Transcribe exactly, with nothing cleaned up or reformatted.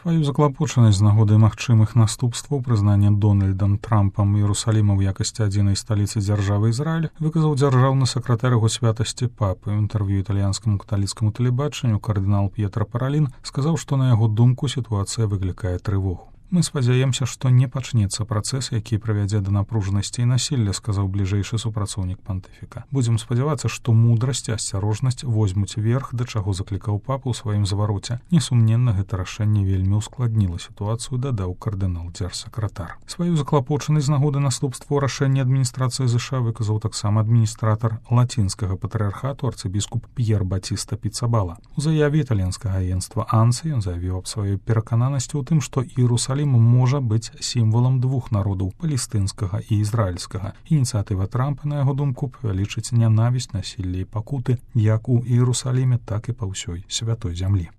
Сваю заклапочанасць з нагоды магчымых наступстваў прызнання Дональдам Трампам Іерусаліма ў якасці адзінай сталіцы дзяржавы Ізраіль выказаў дзяржаўны сакратар яго святасці папы. У інтэрв'ю італьянскаму каталіцкаму тэлебачанню кардынал П'етра Паралін сказаў, што на яго думку сітуацыя выклікае трывогу. Мы спадзяемся, што не пачнецца працэс, які прывядзе да напружанасці і насілля, сказаў бліжэйшы супрацоўнік пантыфіка. Будзем спадзявацца, што мудрасць і асцярожнасць возьмуць верх, да чаго заклікаў папа ў сваім звароце. Несумненна, гэта рашэнне вельмі ўскладніла сітуацыю, дадаў кардынал дзярсакратар. Сваю заклапочанасць з нагоды наступстваў рашэння адміністрацыі ЗША выказаў таксама адміністратар лацінскага патрыархату арцыбіскуп П'ер Батіста Піцабала. У заяве італьянскага агенцтва АНСА ён заявіў аб сваёй перакананасці ў тым, што Іерусалім можа быць сімвалам двух народаў, палестынскага і ізраільскага. Ініцыятыва Трампа, на яго думку, павялічыць нянавісць, насілле і пакуты як у Іерусаліме, так і па ўсёй святой зямлі.